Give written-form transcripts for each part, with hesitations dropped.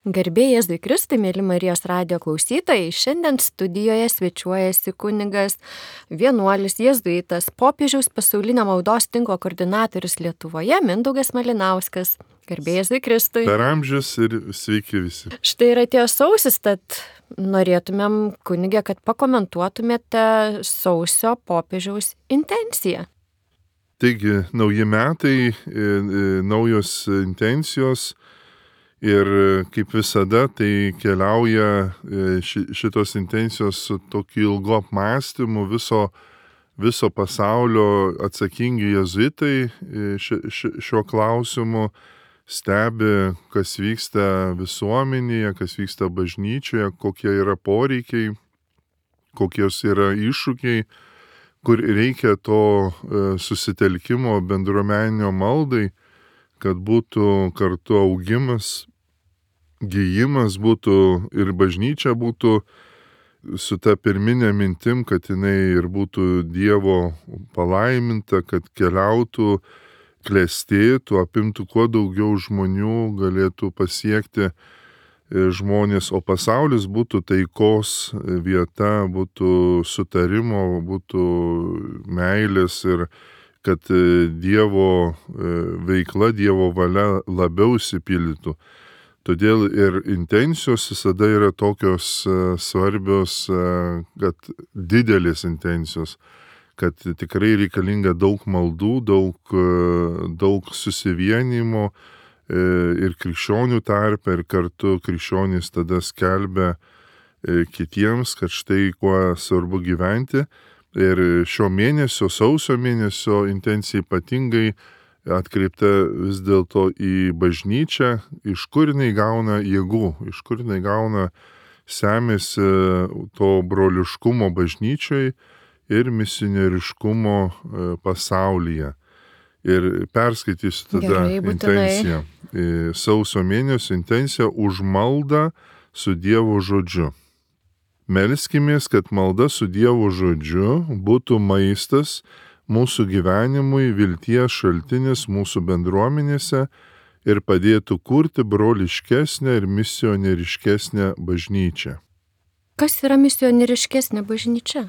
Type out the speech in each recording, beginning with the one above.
Garbė Jėzui Kristui, mėly Marijos radijo klausytojai, šiandien studijoje svečiuojasi kunigas, vienuolis, jėzuitas, popiežiaus pasaulinio maldos tinklo koordinatorius Lietuvoje Mindaugas Malinauskas. Garbė Jėzui Kristui. Per amžius ir sveiki visi. Štai yra atėjo sausis, tad norėtumėm, kunigė, kad pakomentuotumėte sausio popiežiaus intenciją. Taigi, nauji metai, naujos intencijos. Ir kaip visada, tai keliauja šitos intencijos su tokiu ilgu apmąstymu viso pasaulio atsakingi jėzuitai šiuo klausimu stebi, kas vyksta visuomenėje, kas vyksta bažnyčioje, kokie yra poreikiai, kokios yra iššūkiai, kur reikia to susitelkimo bendruomeninio maldai, kad būtų kartu augimas, gijimas būtų ir bažnyčia būtų su ta pirminė mintim, kad jinai ir būtų Dievo palaiminta, kad keliautų, klestėtų, apimtų kuo daugiau žmonių, galėtų pasiekti žmonės, o pasaulis būtų taikos vieta, būtų sutarimo, būtų meilės ir kad Dievo veikla, Dievo valia labiau išsipildytų. Todėl ir intencijos visada yra tokios svarbios, kad didelės intencijos, kad tikrai reikalinga daug maldų, daug susivienimo ir krikščionių tarpe, ir kartu krikščionys tada skelbia kitiems, kad štai kuo svarbu gyventi. Ir šio mėnesio, sausio mėnesio intencija ypatingai atkreipta vis dėlto į bažnyčią, iš kur jinai gauna jėgų, iš kur jinai gauna semėsi to broliškumo bažnyčioj ir misionieriškumo pasaulyje. Ir perskaitysiu tada intenciją. Sausio mėnesio intencija už maldą su Dievo žodžiu. Melskimės, kad malda su Dievo žodžiu būtų maistas mūsų gyvenimui, vilties šaltinis mūsų bendruomenėse ir padėtų kurti broliškesnę ir misionieriškesnę bažnyčią. Kas yra misionieriškesnė bažnyčia?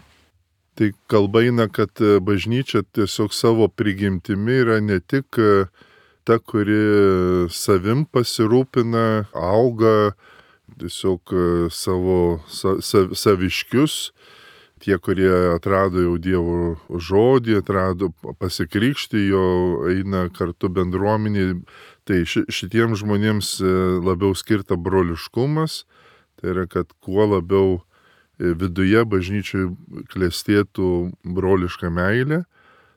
Tai kalba eina, kad bažnyčia tiesiog savo prigimtimi yra ne tik ta, kuri savim pasirūpina, auga, tiesiog savo saviškius, tie, kurie atrado jau Dievo žodį, atrado pasikrikštį, jo eina kartu bendruomeniai, tai šitiems žmonėms labiau skirta broliškumas, tai yra, kad kuo labiau viduje bažnyčiai klestėtų broliška meilė,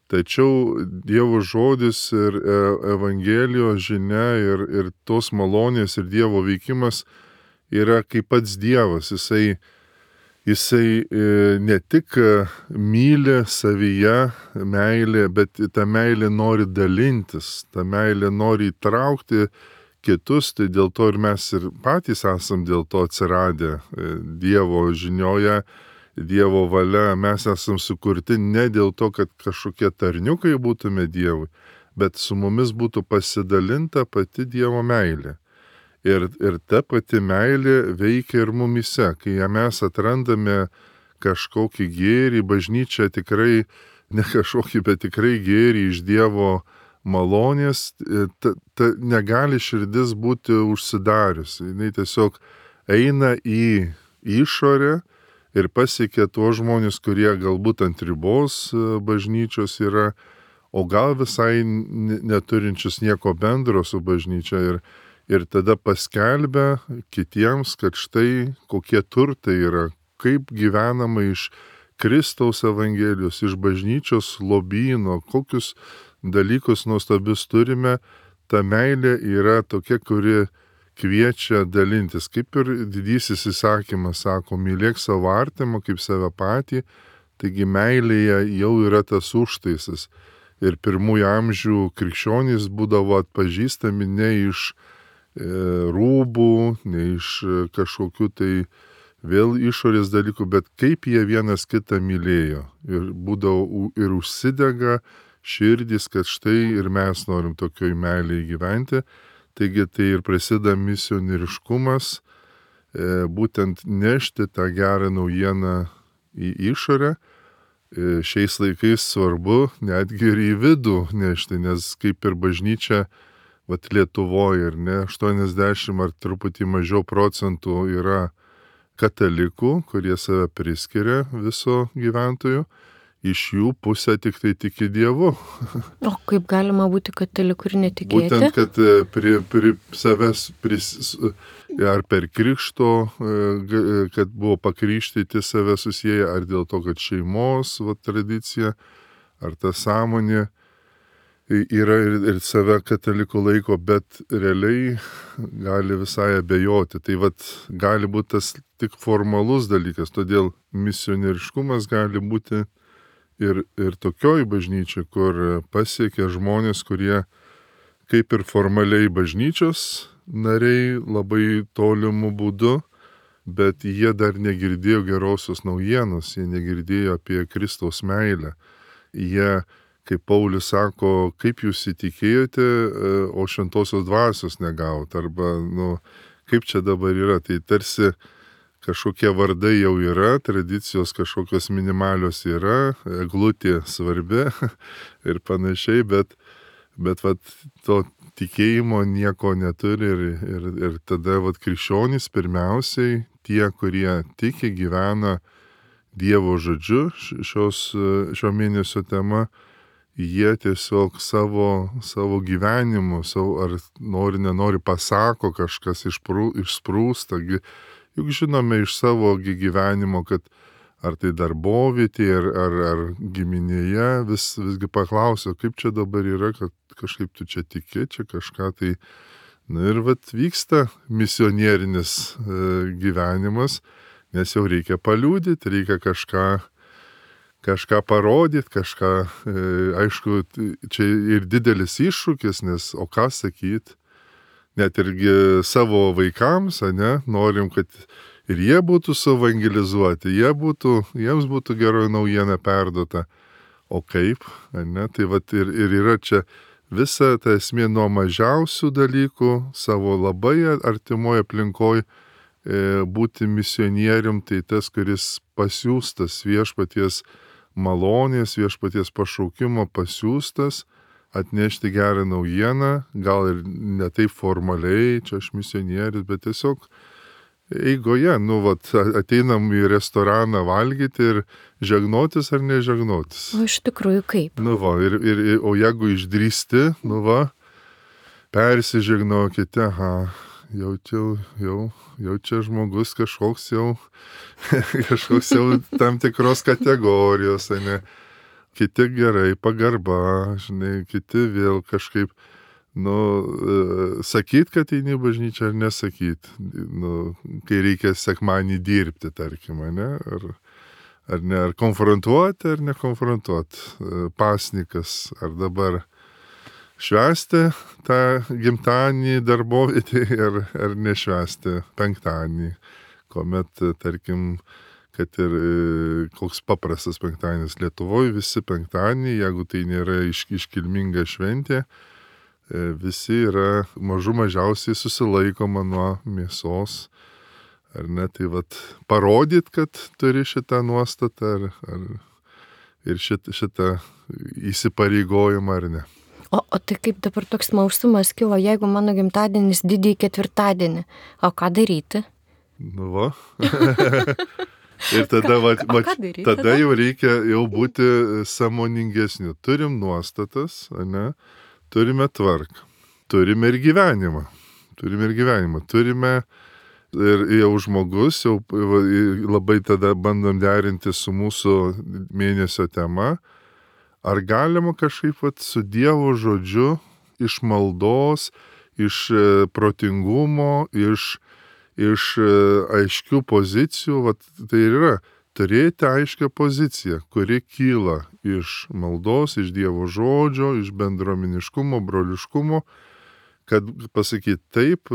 tačiau Dievo žodis ir Evangelijos žinia ir tos malonės ir Dievo veikimas yra kaip pats Dievas, Jisai ne tik myli savyje meilė, bet ta meilė nori dalintis, ta meilė nori įtraukti kitus, tai dėl to ir mes ir patys esam dėl to atsiradę Dievo žinioje, Dievo valia, mes esam sukurti ne dėl to, kad kažkokie tarniukai būtume Dievui, bet su mumis būtų pasidalinta pati Dievo meilė. Ir ta pati meilė veikia ir mumyse, kai mes atrandame kažkokį gėrį, bažnyčia tikrai, ne kažkokį, bet tikrai gėrį iš Dievo malonės, negali širdis būti užsidariusi. Jis tiesiog eina į išorę ir pasiekia tuos žmonės, kurie galbūt ant ribos bažnyčios yra, o gal visai neturinčius nieko bendro su bažnyčia. Ir tada paskelbia kitiems, kad štai kokie turtai yra, kaip gyvenama iš Kristaus Evangelijos, iš bažnyčios lobyno, kokius dalykus nuostabius turime. Ta meilė yra tokia, kuri kviečia dalintis. Kaip ir didysis įsakymas sako, mylėk savo artimą kaip save patį, taigi meilėje jau yra tas užtaisas. Ir pirmųjų amžių krikščionys būdavo atpažįstami ne iš rūbų, ne iš kažkokių tai vėl išorės dalykų, bet kaip jie vienas kitą mylėjo. Ir būdavo ir užsidega širdys, kad štai ir mes norim tokioj meilėje gyventi. Taigi tai ir prasideda misionieriškumas, būtent nešti tą gerą naujieną į išorę. Šiais laikais svarbu netgi ir į vidų nešti, nes kaip ir bažnyčia, vat Lietuvoje, ar ne, 80 ar truputį mažiau procentų yra katalikų, kurie save priskiria viso gyventojų. Iš jų pusė tik tai tiki Dievu. O kaip galima būti kataliku ir netikėti? Būtent, kad savęs ar per krikšto, kad buvo pakrikštyti save susiję, ar dėl to, kad šeimos tradicija, ar ta sąmonė yra ir save kataliku laiko, bet realiai gali visai abejoti. Tai gali būti tas tik formalus dalykas, todėl misionieriškumas gali būti ir tokioj bažnyčiai, kur pasiekia žmonės, kurie kaip ir formaliai bažnyčios nariai labai tolimų būdų, bet jie dar negirdėjo gerosios naujienos, jie negirdėjo apie Kristaus meilę. Jie, kaip Paulius sako, kaip jūs įtikėjote, o šventosios dvasios negavot, arba, kaip čia dabar yra, tai tarsi kažkokie vardai jau yra, tradicijos kažkokios minimalios yra, eglutė svarbi ir panašiai, bet to tikėjimo nieko neturi ir tada krikščionys pirmiausiai, tie, kurie tiki, gyvena Dievo žodžiu, šio mėnesio tema, jie tiesiog savo gyvenimu, ar nenori pasako kažkas išsprūsta. Juk žinome iš savo gyvenimo, kad ar tai darbovietė, ar giminėje visgi paklausia, kaip čia dabar yra, kad kažkaip tu čia tiki, čia kažką tai. Ir vyksta misionierinis gyvenimas, nes jau reikia paliudyti, reikia kažką parodyti, kažką, aišku, čia ir didelis iššūkis, nes o ką sakyti? Net irgi savo vaikams, norim, kad ir jie būtų suevangelizuoti, jiems būtų geroji naujiena perduota. O kaip, tai ir yra čia visa ta esmė nuo mažiausių dalykų, savo labai artimoje aplinkoje būti misionierium, tai tas, kuris pasiųstas viešpaties malonės, viešpaties pašaukimo pasiųstas, atnešti gerą naujieną, gal ir ne taip formaliai, čia aš misionierius, bet tiesiog eigoje, ateinam į restoraną valgyti ir žegnotis ar nežegnotis. O iš tikrųjų kaip? O jeigu išdrįsti, persižegnokite, jau čia žmogus kažkoks jau tam tikros kategorijos, Kiti gerai, pagarba, kiti vėl kažkaip, sakyt, kad eini bažnyčią ar nesakyt, kai reikia sekmanį dirbti, tarkim, ar konfrontuoti, ar nekonfrontuoti, pasnikas, ar dabar švęsti tą gimtadienį darbovietį, ar nešvęsti penktadienį, kuomet, tarkim, kad ir koks paprastas penktadienis Lietuvoje, visi penktadieniai, jeigu tai nėra iškilminga šventė, visi yra mažiausiai susilaikoma nuo mėsos, ar ne, tai parodyt, kad turi šitą nuostatą, ir šitą įsipareigojimą, ar ne. O tai kaip dabar toks smalsumas kilo, jeigu mano gimtadienis didįjį ketvirtadienį, o ką daryti? Ir tada jau reikia būti sąmoningesniu. Turim nuostatas, turime tvarką, turime ir gyvenimą. Turime ir jau žmogus, jau labai tada bandom derinti su mūsų mėnesio tema. Ar galima kažkaip su Dievo žodžiu, iš maldos, iš protingumo, iš aiškių pozicijų, tai yra turėti aiškią poziciją, kuri kyla iš maldos, iš Dievo žodžio, iš bendruomeniškumo, broliškumo, kad pasakyti taip,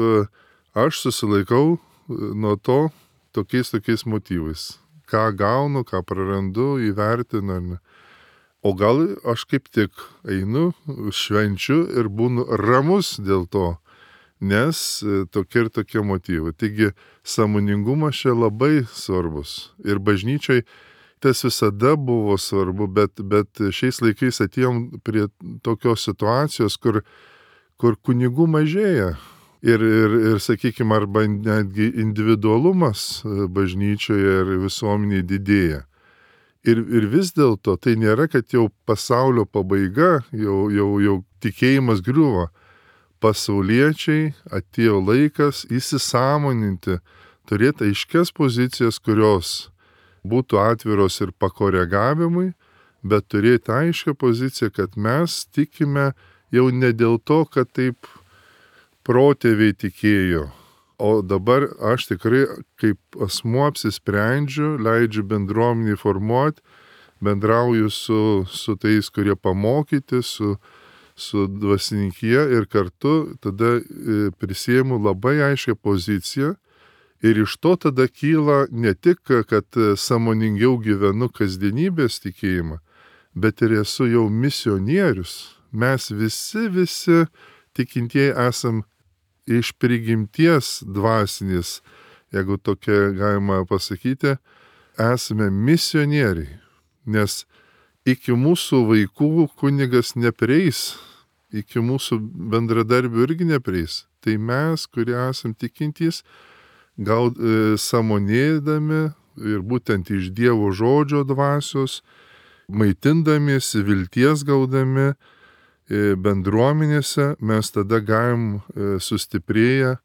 aš susilaikau nuo to tokiais motyvais. Ką gaunu, ką prarandu, įvertinu. O gal aš kaip tik einu, švenčiu ir būnu ramus dėl to. nes tokie ir tokie motyvai. Taigi, sąmoningumas čia labai svarbus. Ir bažnyčiai tas visada buvo svarbu, bet šiais laikais atėjom prie tokios situacijos, kur kunigų mažėja. Ir sakykime, arba netgi individualumas bažnyčioje ir visuomeniai didėja. Ir vis dėlto tai nėra, kad jau pasaulio pabaiga, jau tikėjimas griuvo. Pasauliečiai atėjo laikas įsisąmoninti, turėti aiškias pozicijas, kurios būtų atviros ir pakoregavimui, bet turėti aiškią poziciją, kad mes tikime jau ne dėl to, kad taip protėviai tikėjo. O dabar aš tikrai kaip asmuo apsisprendžiu, leidžiu bendruomenį formuoti, bendrauju su tais, kurie pamokyti, su dvasininkija ir kartu tada prisiėmu labai aiškią poziciją ir iš to tada kyla ne tik, kad sąmoningiau gyvenu kasdienybės tikėjimą, bet ir esu jau misionierius. Mes visi tikintieji esam iš prigimties dvasinės, jeigu tokia galima pasakyti, esame misionieriai, nes iki mūsų vaikų kunigas neprieis, iki mūsų bendradarbių irgi neprieis. Tai mes, kurie esam tikintys, gal sąmonėdami ir būtent iš Dievo žodžio dvasios, maitindamiesi, vilties gaudami, bendruomenėse mes tada galim sustiprėję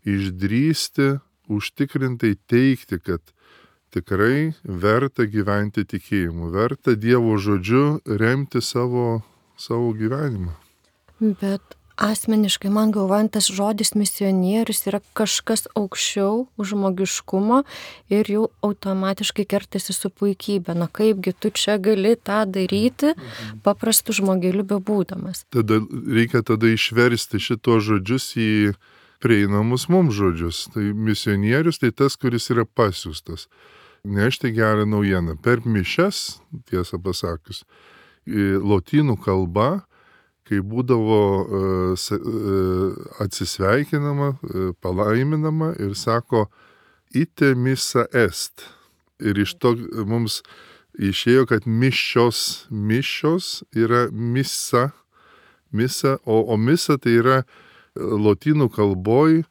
išdrįsti, užtikrintai teikti, kad tikrai verta gyventi tikėjimu, verta Dievo žodžiu remti savo gyvenimą. Bet asmeniškai man galvojant, tas žodis misionierius yra kažkas aukščiau už žmogiškumo ir jau automatiškai kertasi su puikybė. Na kaipgi tu čia gali tą daryti paprastu žmogeliu bebūdamas. Tada reikia išversti šito žodžius į prieinamus mums žodžius. Tai misionierius tai tas, kuris yra pasiųstas. Nešti gerą naujieną. Per mišias, tiesą pasakius, lotynų kalba, kai būdavo atsisveikinama, palaiminama ir sako ite missa est. Ir iš to mums išėjo, kad mišios yra misa, o misa tai yra lotynų kalboj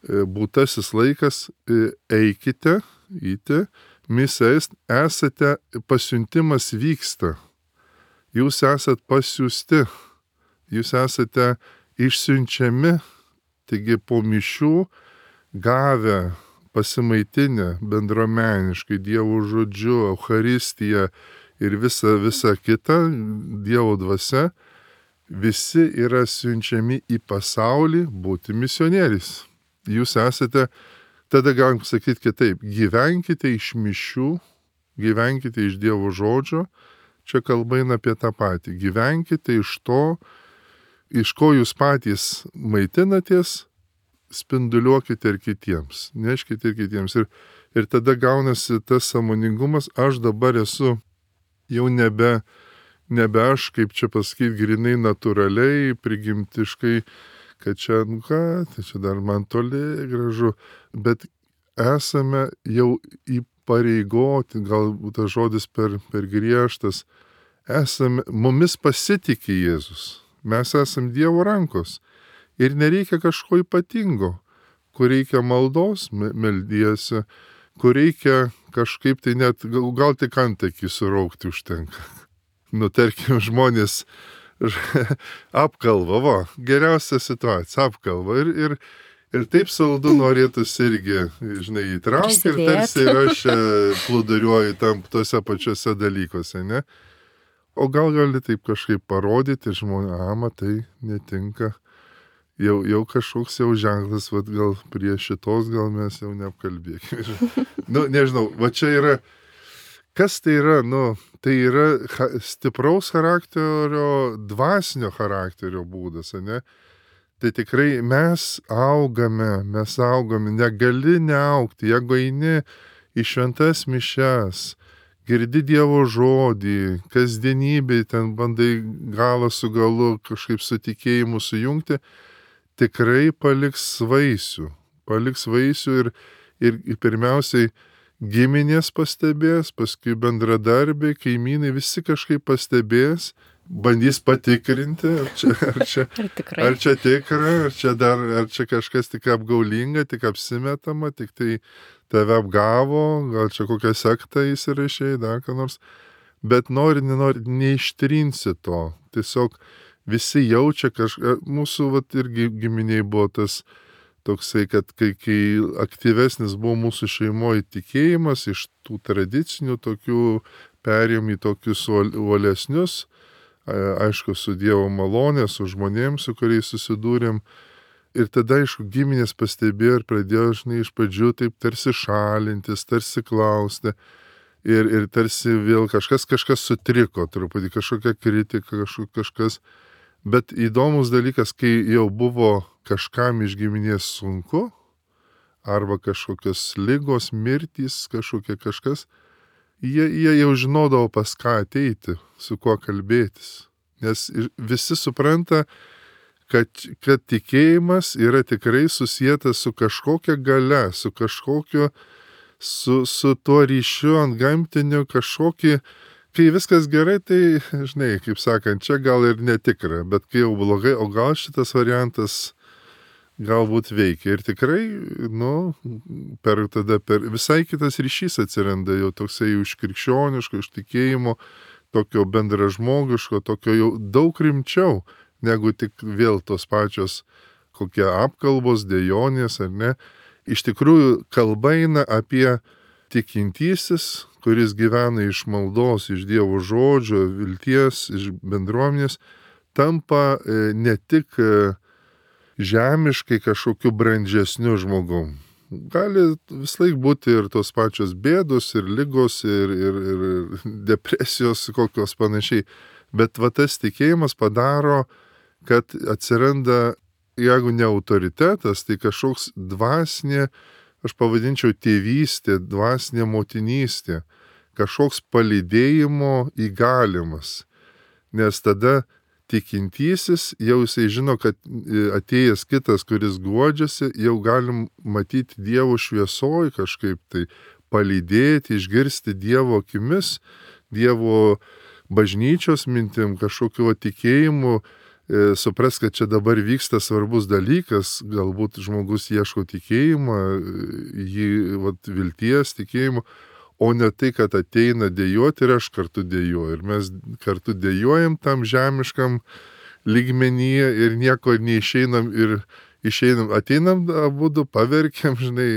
būtasis laikas eikite, ite, missa est, esate, pasiuntimas vyksta. Jūs esat pasiųsti. Jūs esate išsiunčiami, taigi po mišių gavę, pasimaitinę bendruomeniškai Dievo žodžiu, Eucharistiją ir visa kita Dievo dvasia, visi yra siunčiami į pasaulį būti misionieriais. Jūs esate, tada galim sakyti kitaip, gyvenkite iš mišių, gyvenkite iš Dievo žodžio, čia kalba eina apie tą patį, gyvenkite iš to, iš ko jūs patys maitinatės, spinduliuokite ir kitiems, neškite ir kitiems. Ir tada gaunasi tas sąmoningumas, aš dabar esu jau nebe aš, kaip čia pasakyti, grinai natūraliai, prigimtiškai, kad čia, tai čia dar man toli gražu, bet esame jau įpareigoti, galbūt tas žodis per griežtas, mumis pasitikė Jėzus. Mes esam Dievo rankos ir nereikia kažko ypatingo, kur reikia maldos, meldiesi, kur reikia kažkaip tai net, gal tik antakį suraukti užtenka. Tarkim, žmonės apkalva, geriausia situacija, apkalva ir taip saldu norėtųsi irgi, įtraukti ir tarsi ir aš plūduriuoju tose pačiose dalykuose, ne? O gal gali taip kažkaip parodyti žmonės, matai, netinka. Jau kažkoks jau ženklas, gal prie šitos gal mes jau neapkalbėkime. Nežinau, čia yra, kas tai yra, tai yra stipraus charakterio, dvasinio charakterio būdas, ne? Tai tikrai mes augame, negali neaugti, jeigu eini į šventas mišias, girdi Dievo žodį, kasdienybėj ten bandai galą su galu kažkaip su tikėjimu sujungti, tikrai paliks vaisių. Paliks vaisių ir pirmiausiai giminės pastebės, paskui bendradarbiai, kaimynai, visi kažkaip pastebės, bandys patikrinti, ar čia tikra, ar čia kažkas tik apgaulinga, tik apsimetama, tik tai tave apgavo, gal čia kokią sektą įsirašė, dar ką nors. Bet nori, neištrinsi to. Tiesiog visi jaučia kažką. Mūsų irgi giminiai buvo tas toksai, kad kai aktyvesnis buvo mūsų šeimoje tikėjimas, iš tų tradicinių tokių perėjom į tokius uolesnius, aišku, su Dievo malonė, su žmonėms, su kuriais susidūrėm. Ir tada, aišku, giminės pastebėjo ir pradėjo, iš pradžių taip tarsi šalintis, tarsi klausti. Ir tarsi vėl kažkas sutriko, truputį kažkokia kritika, kažkas. Bet įdomus dalykas, kai jau buvo kažkam iš giminės sunku, arba kažkokios ligos, mirtys, kažkas, jie jau žinodavo pas ką ateiti, su kuo kalbėtis. Nes visi supranta, kad tikėjimas yra tikrai susietas su kažkokia galia, su kažkokiu, su tuo ryšiu ant gamtiniu kažkokį. Kai viskas gerai, tai, žinai, kaip sakant, čia gal ir netikra, bet kai jau blogai, o gal šitas variantas galbūt veikia. Ir tikrai, per visai kitas ryšys atsiranda, jau toksai iš krikščioniško, iš tikėjimo, tokio bendražmogiško, tokio jau daug rimčiau, negu tik vėl tos pačios kokie apkalbos, dejonės ar ne. Iš tikrųjų, kalba eina apie tikintysis, kuris gyvena iš maldos, iš Dievo žodžio, vilties, iš bendruomenės, tampa ne tik žemiškai kažkokiu brandžesniu žmogum. Gali vislaik būti ir tos pačios bėdos, ir lygos, ir depresijos kokios panašiai. Bet tas tikėjimas padaro, kad atsiranda, jeigu ne autoritetas, tai kažkoks dvasinė, aš pavadinčiau tėvystė, dvasinė motinystė, kažkoks palydėjimo įgalimas. Nes tada tikintysis jau jisai žino, kad atėjęs kitas, kuris guodžiasi, jau galim matyti Dievo šviesoj kažkaip tai palydėti, išgirsti Dievo akimis, Dievo bažnyčios mintim, kažkokiu tikėjimu, supras, kad čia dabar vyksta svarbus dalykas, galbūt žmogus ieško tikėjimą, vilties tikėjimo, o ne tai, kad ateina dejuoti ir aš kartu dejuoju. Ir mes kartu dejuojam tam žemiškam lygmenyje ir nieko neišeinam ir išeinam, ateinam abudu, paverkiam, žinai,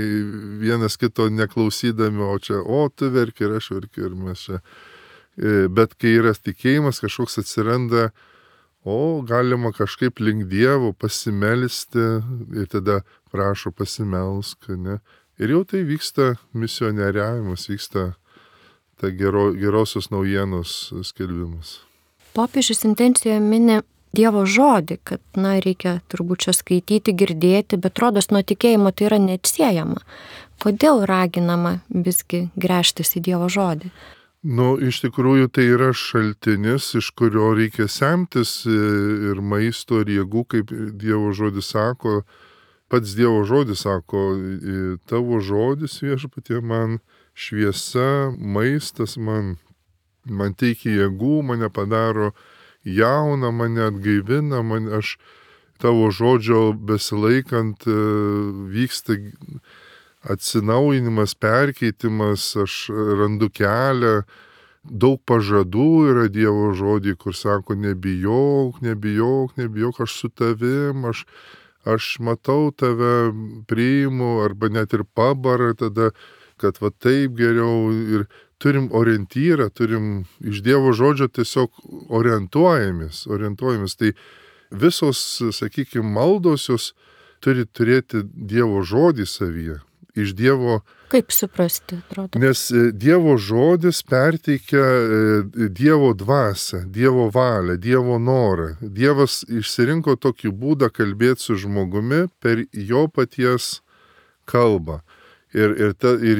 vienas kito neklausydami, tu verki ir aš verkiu ir mes čia. Bet kai yra tikėjimas, kažkoks atsiranda, galima kažkaip link Dievo pasimelsti ir tada prašo pasimelsk, ne? Ir jau tai vyksta misionieriavimas, vyksta ta gerosios naujienos skelbimas. Popiežius intencijoje mini Dievo žodį, kad, reikia turbūt čia skaityti, girdėti, bet rodos nuo tikėjimo tai yra neatsiejama. Kodėl raginama visgi gręžtis į Dievo žodį? Iš tikrųjų tai yra šaltinis, iš kurio reikia semtis ir maisto, ir jėgų, kaip Dievo žodis sako. Pats Dievo žodis sako, tavo žodis viešpatie man šviesa, maistas man teikia jėgų, mane padaro jauną, mane atgaivina, aš tavo žodžio besilaikant vyksta atsinaujinimas, perkeitimas, aš randu kelią, daug pažadų yra Dievo žodį, kur sako, nebijok, aš su tavim, aš matau tave, priimu, arba net ir pabara tada, kad taip geriau ir turim orientyrą, turim iš Dievo žodžio tiesiog orientuojamės. Tai visos, sakykime, maldos jos turi turėti Dievo žodį savyje. Iš Dievo. Kaip suprasti, atrodo? Nes Dievo žodis perteikia Dievo dvasią, Dievo valią, Dievo norą. Dievas išsirinko tokį būdą kalbėti su žmogumi per jo paties kalbą. Ir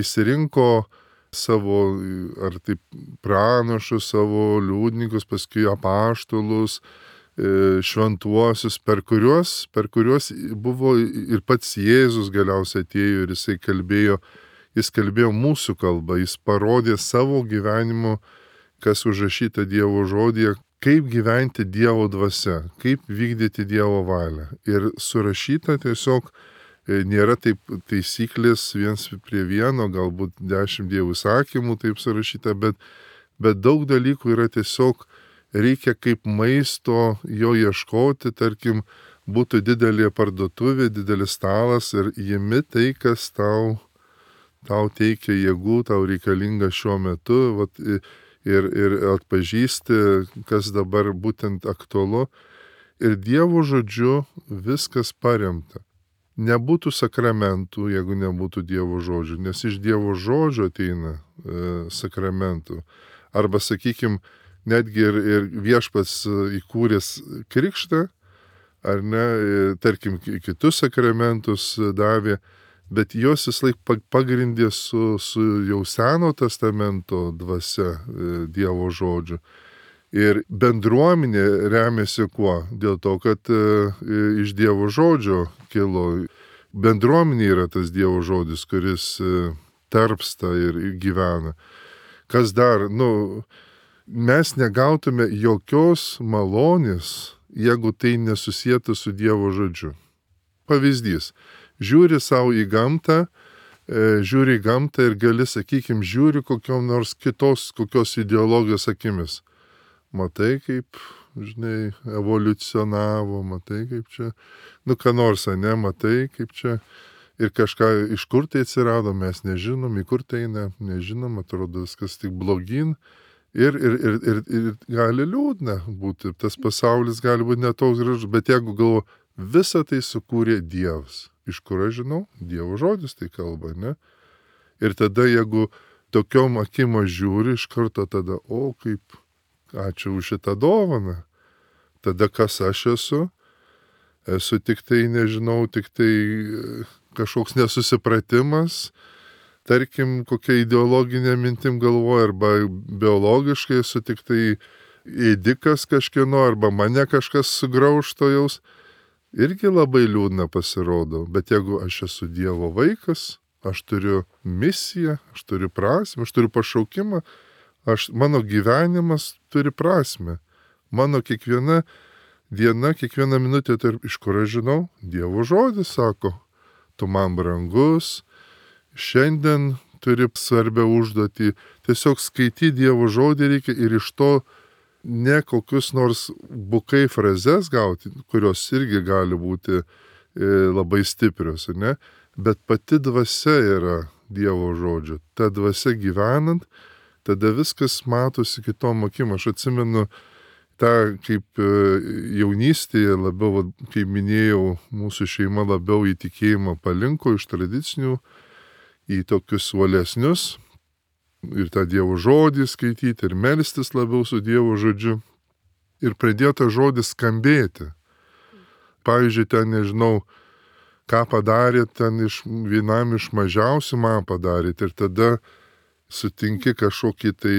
išsirinko savo, ar taip pranašus, savo liudininkus, paskui apaštalus, šventuosius, per kuriuos buvo ir pats Jėzus galiausiai atėjo ir jis kalbėjo mūsų kalbą, jis parodė savo gyvenimu, kas užrašyta Dievo žodyje, kaip gyventi Dievo dvasia, kaip vykdyti Dievo valią. Ir surašyta tiesiog nėra taip taisyklės viens prie vieno, galbūt 10 Dievo įsakymų taip surašyta, bet daug dalykų yra tiesiog reikia kaip maisto jo ieškoti, tarkim, būtų didelė parduotuvė, didelis stalas ir jimi tai, kas tau teikia jėgų, tau reikalinga šiuo metu, vat, ir atpažįsti, kas dabar būtent aktualu. Ir Dievo žodžiu viskas paremta. Nebūtų sakramentų, jeigu nebūtų Dievo žodžių, nes iš Dievo žodžio ateina sakramentų. Arba, sakykim, netgi ir viešpats įkūręs krikštą, ar ne, tarkim, kitus sakramentus davė, bet jos vis laik pagrindė su jau Seno testamento dvasia Dievo žodžiu. Ir bendruomenė remiasi kuo? Dėl to, kad iš Dievo žodžio kilo. Bendruomenė yra tas Dievo žodis, kuris tarpsta ir gyvena. Kas dar? Mes negautume jokios malonės, jeigu tai nesusietų su Dievo žodžiu. Pavyzdys. Žiūri savo į gamtą, ir gali, sakykim, žiūri kokiom nors kokios ideologijos akimis. Matai, kaip, žinai, evoliucionavo, matai, kaip čia, ką nors, ne, matai, kaip čia, ir kažką, iš kur tai atsirado, mes nežinom, į kur tai nežinom, atrodo viskas tik blogyn, ir gali liūdna būti, tas pasaulis gali būti netoks gražus, bet jeigu galvo, visą tai sukūrė Dievas. Iš kur aš žinau? Dievo žodis tai kalba, ne? Ir tada, jeigu tokiom akim žiūri, iš karto tada, kaip, ačiū už šitą dovaną. Tada kas aš esu? Esu tik tai, nežinau, tik tai kažkoks nesusipratimas, tarkim, kokia ideologinė mintim galvoja, arba biologiškai esu tik tai ėdikas kažkieno, arba mane kažkas sugraužto jaus. Irgi labai liūdna pasirodo, bet jeigu aš esu Dievo vaikas, aš turiu misiją, aš turiu prasmę, aš turiu pašaukimą, mano gyvenimas turi prasmę. Mano kiekviena diena, kiekviena minutė, iš kur aš žinau, Dievo žodis sako, tu man brangus, šiandien turi svarbią užduotį, tiesiog skaityti Dievo žodį reikia ir iš to ne kokius nors bukai frazes gauti, kurios irgi gali būti labai stiprios, ne? Bet pati dvasia yra Dievo žodžio. Ta dvasia gyvenant, tada viskas matosi kitom akim. Aš atsimenu tą, kaip jaunystėje labiau, kaip minėjau, mūsų šeima labiau į tikėjimą palinko iš tradicinių į tokius uolesnius. Ir tą Dievo žodį skaityti, ir melstis labiau su Dievo žodžiu. Ir pradėjo tą žodį skambėti. Pavyzdžiui, ten nežinau, ką padarėt, ten vienam iš mažiausių man padarėt. Ir tada sutinki kažkokį tai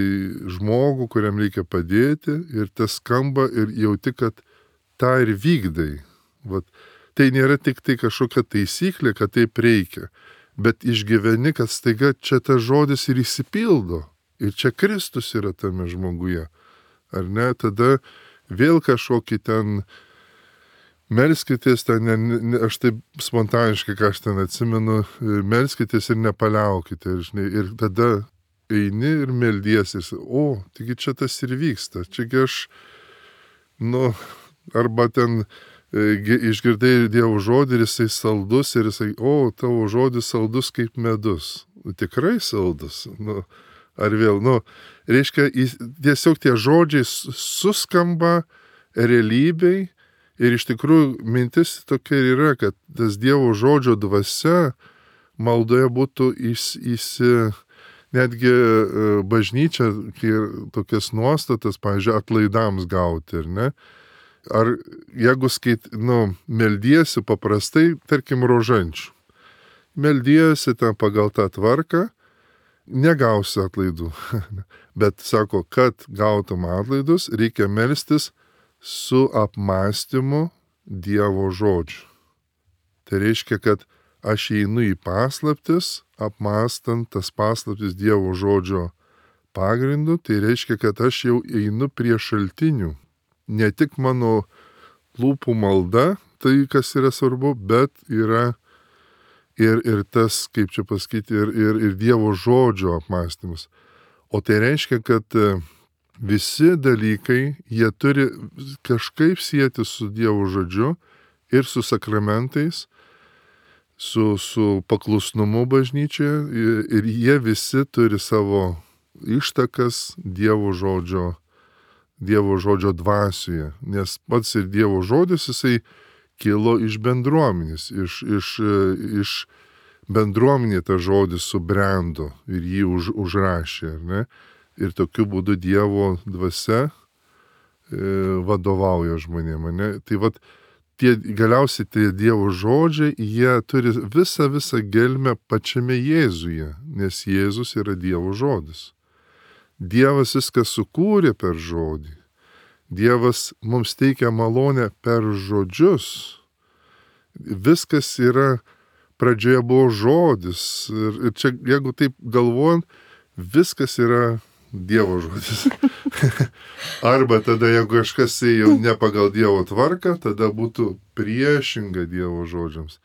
žmogų, kuriam reikia padėti. Ir tas skamba ir jauti, kad tą ir vykdai. Vat, tai nėra tik tai kažkokia taisyklė, kad taip reikia. Bet išgyveni, kad staiga čia tas žodis ir įsipildo. Ir čia Kristus yra tame žmoguje. Ar ne? Tada vėl kažkokį ten melskitės, aš taip spontaniškai, ką aš ten atsimenu, melskitės ir nepaliaukite. Ir tada eini ir meldiesi. Taigi čia tas ir vyksta. Čiagi aš, arba ten išgirdai Dievo žodį ir jisai saldus ir jisai, tavo žodis saldus kaip medus. Tikrai saldus. Ar vėl, reiškia, tiesiog tie žodžiai suskamba realybei ir iš tikrųjų mintis tokia yra, kad tas Dievo žodžio dvasia maldoje būtų netgi bažnyčia tokias nuostatas, pavyzdžiui, atlaidams gauti, ar ne? Ar jeigu meldiesi paprastai, tarkim, rožančių. Meldiesi ten pagal tą tvarką, negausi atlaidų. Bet sako, kad gautum atlaidus, reikia melstis su apmąstymu Dievo žodžiu. Tai reiškia, kad aš einu į paslaptis, apmąstant tas paslaptis Dievo žodžio pagrindu, tai reiškia, kad aš jau einu prie šaltinių. Ne tik mano lūpų malda, tai kas yra svarbu, bet yra ir tas, kaip čia pasakyti, ir Dievo žodžio apmąstymas. O tai reiškia, kad visi dalykai, jie turi kažkaip sieti su Dievo žodžiu ir su sakramentais, su paklusnumu bažnyčioje, ir jie visi turi savo ištakas Dievo žodžio dvasioje. Nes pats ir Dievo žodis, jisai kilo iš bendruomenės, iš bendruomenė tas žodis subrendo ir jį užrašė, ar ne? Ir tokiu būdu Dievo dvasia vadovauja žmonėm, ne? Tai vat, galiausiai tie Dievo žodžiai, jie turi visą gelmę pačiame Jėzuje, nes Jėzus yra Dievo žodis. Dievas viską sukūrė per žodį. Dievas mums teikia malonę per žodžius. Viskas yra, pradžioje buvo žodis. Ir čia, jeigu taip galvojant, viskas yra Dievo žodis. Arba tada, jeigu kažkas jau ne pagal Dievo tvarką, tada būtų priešinga Dievo žodžiams.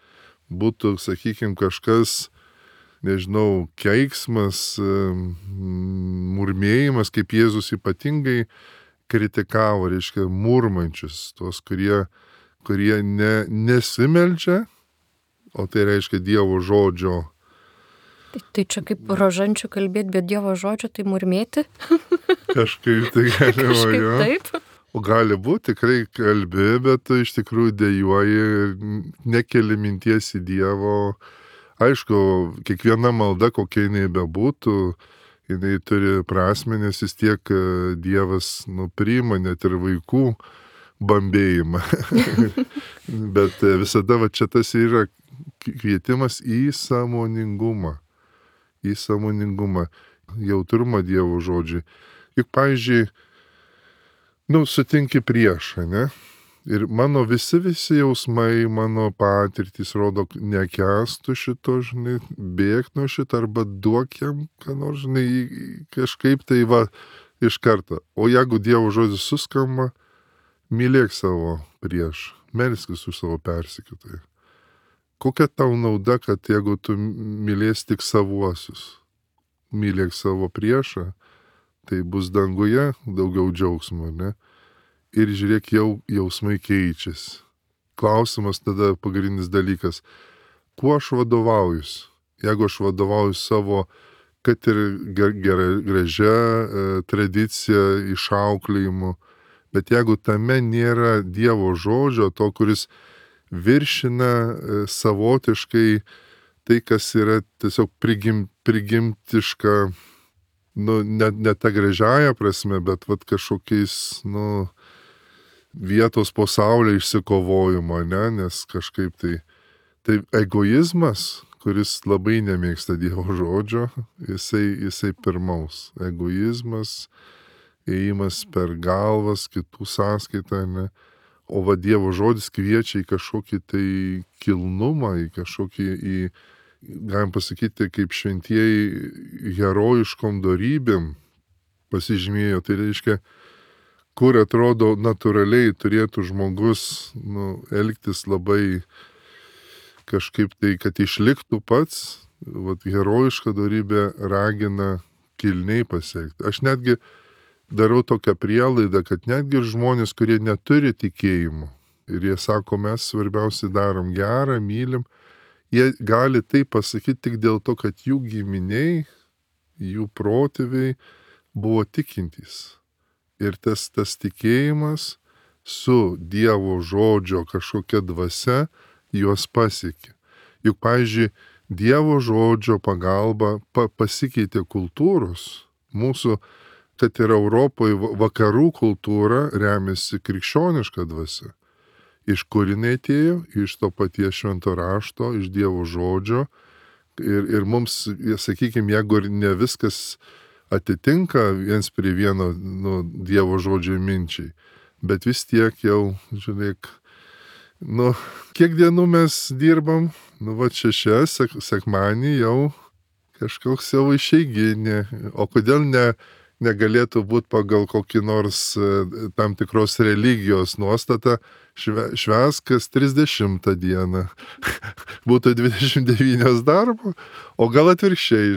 Būtų, sakykime, kažkas, nežinau, keiksmas, murmėjimas, kaip Jėzus ypatingai kritikavo, reiškia, murmančius, tuos, kurie nesimeldžia, o tai reiškia Dievo žodžio. Tai čia kaip rožančių kalbėti, bet Dievo žodžio tai murmėti? Kažkaip tai galima, jo. Taip. O gali būti, tikrai kalbi, bet tu iš tikrųjų dejuoji ir nekeli minties į Dievo. Aišku, kiekviena malda, kokia jinai bebūtų, jinai turi prasmę, nes vis tiek Dievas priima net ir vaikų bambėjimą. Bet visada va čia tas yra kvietimas į sąmoningumą. Į sąmoningumą, jautrumą Dievo žodžiui. Juk, pavyzdžiui, sutinki priešą, ne? Ir mano visi jausmai, mano patirtys rodo, nekęstų šito, žinai, bėk nuo šito, arba duok jam, ką nors, žinai, kažkaip tai va iš karto. O jeigu Dievo žodis suskamba, mylėk savo priešą, melskis už savo persekiotoją. Kokia tau nauda, kad jeigu tu mylės tik savuosius, mylėk savo priešą, tai bus danguje daugiau džiaugsmo, ne? Ir žiūrėk, jau jausmai keičiasi. Klausimas tada pagrindinis dalykas, kuo aš vadovaujuosi? Jeigu aš vadovauju savo, kad ir gražia tradicija, išauklėjimu, bet jeigu tame nėra Dievo žodžio, to, kuris viršina savotiškai tai, kas yra tiesiog prigimtiška, ne ta gražiaja prasme, bet vat kažkokiais, vietos po saulė išsikovojimo, ne, nes kažkaip tai egoizmas, kuris labai nemėgsta Dievo žodžio, jisai pirmaus. Egoizmas, ėjimas per galvas, kitų sąskaitą, ne. O va Dievo žodis kviečia į kažkokį tai kilnumą, į kažkokį, galim pasakyti, kaip šventieji herojiškom dorybėm pasižymėjo. Tai reiškia, kur atrodo natūraliai turėtų žmogus elgtis labai kažkaip tai, kad išliktų pats, vat herojiška dorybė ragina kilniai pasiekti. Aš netgi darau tokią prielaidą, kad netgi žmonės, kurie neturi tikėjimo, ir jie sako, mes svarbiausiai darom gerą, mylim, jie gali tai pasakyti tik dėl to, kad jų giminiai, jų protėviai buvo tikintys. Ir tas tikėjimas su Dievo žodžio kažkokia dvasia juos pasiekė. Juk, pavyzdžiui, Dievo žodžio pagalba pasikeitė kultūros. Mūsų, kad ir Europoje vakarų kultūra remiasi krikščioniška dvasia. Iš kur jinai atėjo? Iš to paties švento rašto, iš Dievo žodžio. Ir mums, sakykime, jeigu ir ne viskas atitinka viens prie vieno Dievo žodžio minčiai, bet vis tiek jau, žiūrėk, kiek dienų mes dirbam, va 6, sekmanį jau kažkoks jau išeiginė, o kodėl negalėtų būti pagal kokį nors tam tikros religijos nuostatą švęsk kas 30 dieną. Būtų 29 darbo, o gal atvirkščiai,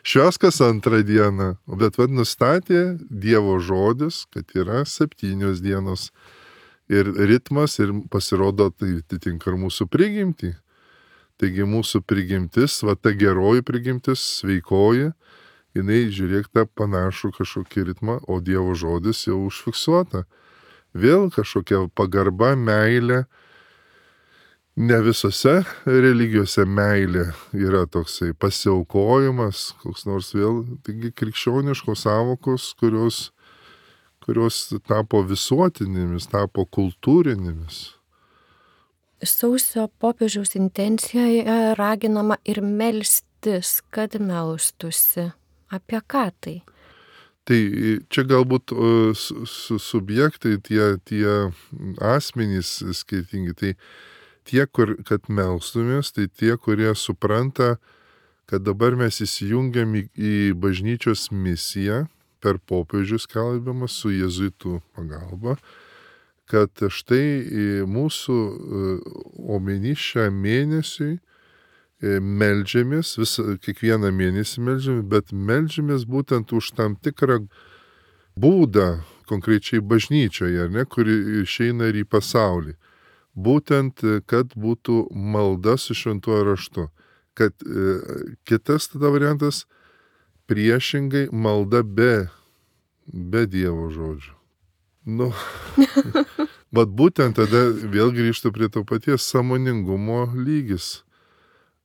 švęsk kas 2 dieną. Bet nustatė Dievo žodis, kad yra 7 dienos ir ritmas ir pasirodo tai atitinka ir mūsų prigimtį. Taigi mūsų prigimtis, ta geroji prigimtis, sveikoji, jinai žiūrėk tą panašų kažkokį ritmą, o Dievo žodis jau užfiksuota. Vėl kažkokia pagarba, meilė. Ne visose religijose meilė yra toksai pasiaukojimas, koks nors vėl, taigi krikščioniškos sąvokos, kurios tapo visuotinėmis, tapo kultūrinėmis. Sausio popiežiaus intencijoje raginama ir melstis, kad melstusi. Apie ką tai? Tai čia galbūt subjektai, tie asmenys skirtingi, tai tie, kad melstumės, tai tie, kurie supranta, kad dabar mes įsijungiam į bažnyčios misiją per popiežių skelbiamą su jėzuitų pagalba, kad štai mūsų omeny šią mėnesiui meldžiamės, kiekvieną mėnesį meldžiamės, bet meldžiamės būtent už tam tikrą būdą, konkrečiai bažnyčioje, kuri išeina ir į pasaulį. Būtent, kad būtų malda su šventuoju raštu. Kad kitas tada variantas priešingai malda be Dievo žodžių. Bet būtent tada vėl grįžtu prie to paties sąmoningumo lygis.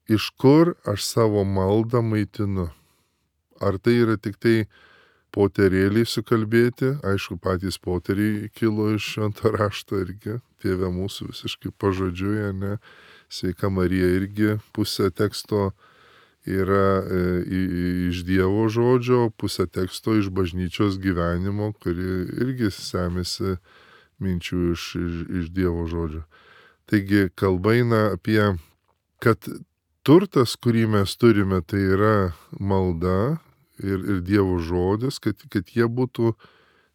Iš kur aš savo maldą maitinu? Ar tai yra tik tai poterėliai sukalbėti? Aišku, patys poteriai kilo iš švento rašto irgi. Tėve mūsų visiškai pažodžiui, ne? Sveika Marija irgi pusė teksto yra iš Dievo žodžio, pusė teksto iš bažnyčios gyvenimo, kuri irgi semėsi minčių iš Dievo žodžio. Taigi kalba eina apie, kad turtas, kurį mes turime, tai yra malda ir Dievo žodis, kad jie būtų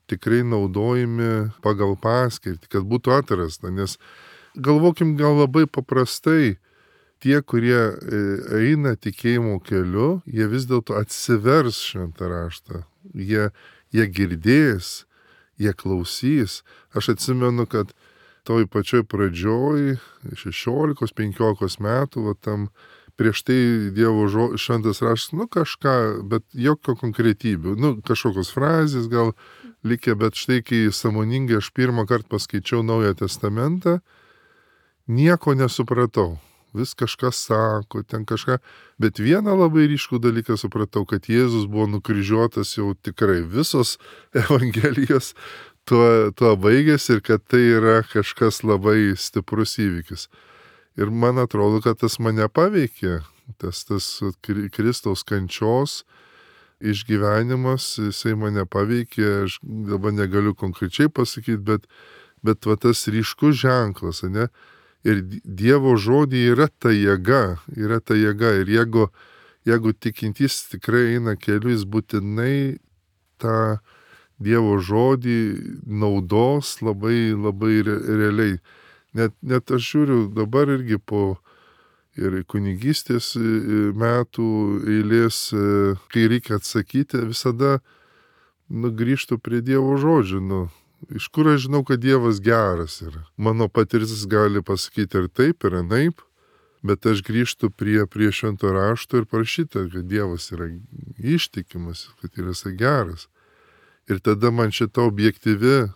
tikrai naudojami pagal paskirtį, kad būtų atrasta. Nes galvokim gal labai paprastai, tie, kurie eina tikėjimo keliu, jie vis dėlto atsivers šventą raštą. Jie girdės, jie klausys. Aš atsimenu, kad toj pačioj pradžioj, 16-15 metų, tam prieš tai Dievo šventas raštas, kažką, bet jokio konkretybių, kažkokios frazės gal likę, bet štai kai sąmoningai aš pirmą kartą paskaičiau Naują Testamentą, nieko nesupratau. Vis kažkas sako, ten kažką, bet vieną labai ryškų dalyką supratau, kad Jėzus buvo nukryžiuotas jau tikrai visos evangelijos tuo baigėsi ir kad tai yra kažkas labai stiprus įvykis. Ir man atrodo, kad tas mane paveikė, tas Kristaus kančios išgyvenimas, jisai mane paveikė, aš dabar negaliu konkrečiai pasakyti, bet va tas ryškus ženklas, ne? Ir Dievo žodį yra ta jėga. Ir jeigu tikintys tikrai eina keliu, jis būtinai tą Dievo žodį naudos labai, labai realiai. Net aš žiūriu dabar irgi po ir kunigystės metų eilės, kai reikia atsakyti, visada grįžtu prie Dievo žodžių. Iš kur aš žinau, kad Dievas geras yra? Mano patirtis gali pasakyti ir taip, ir anaip, bet aš grįžtu prie švento rašto ir prašyta, kad Dievas yra ištikimas, kad yra geras. Ir tada man šita objektyvi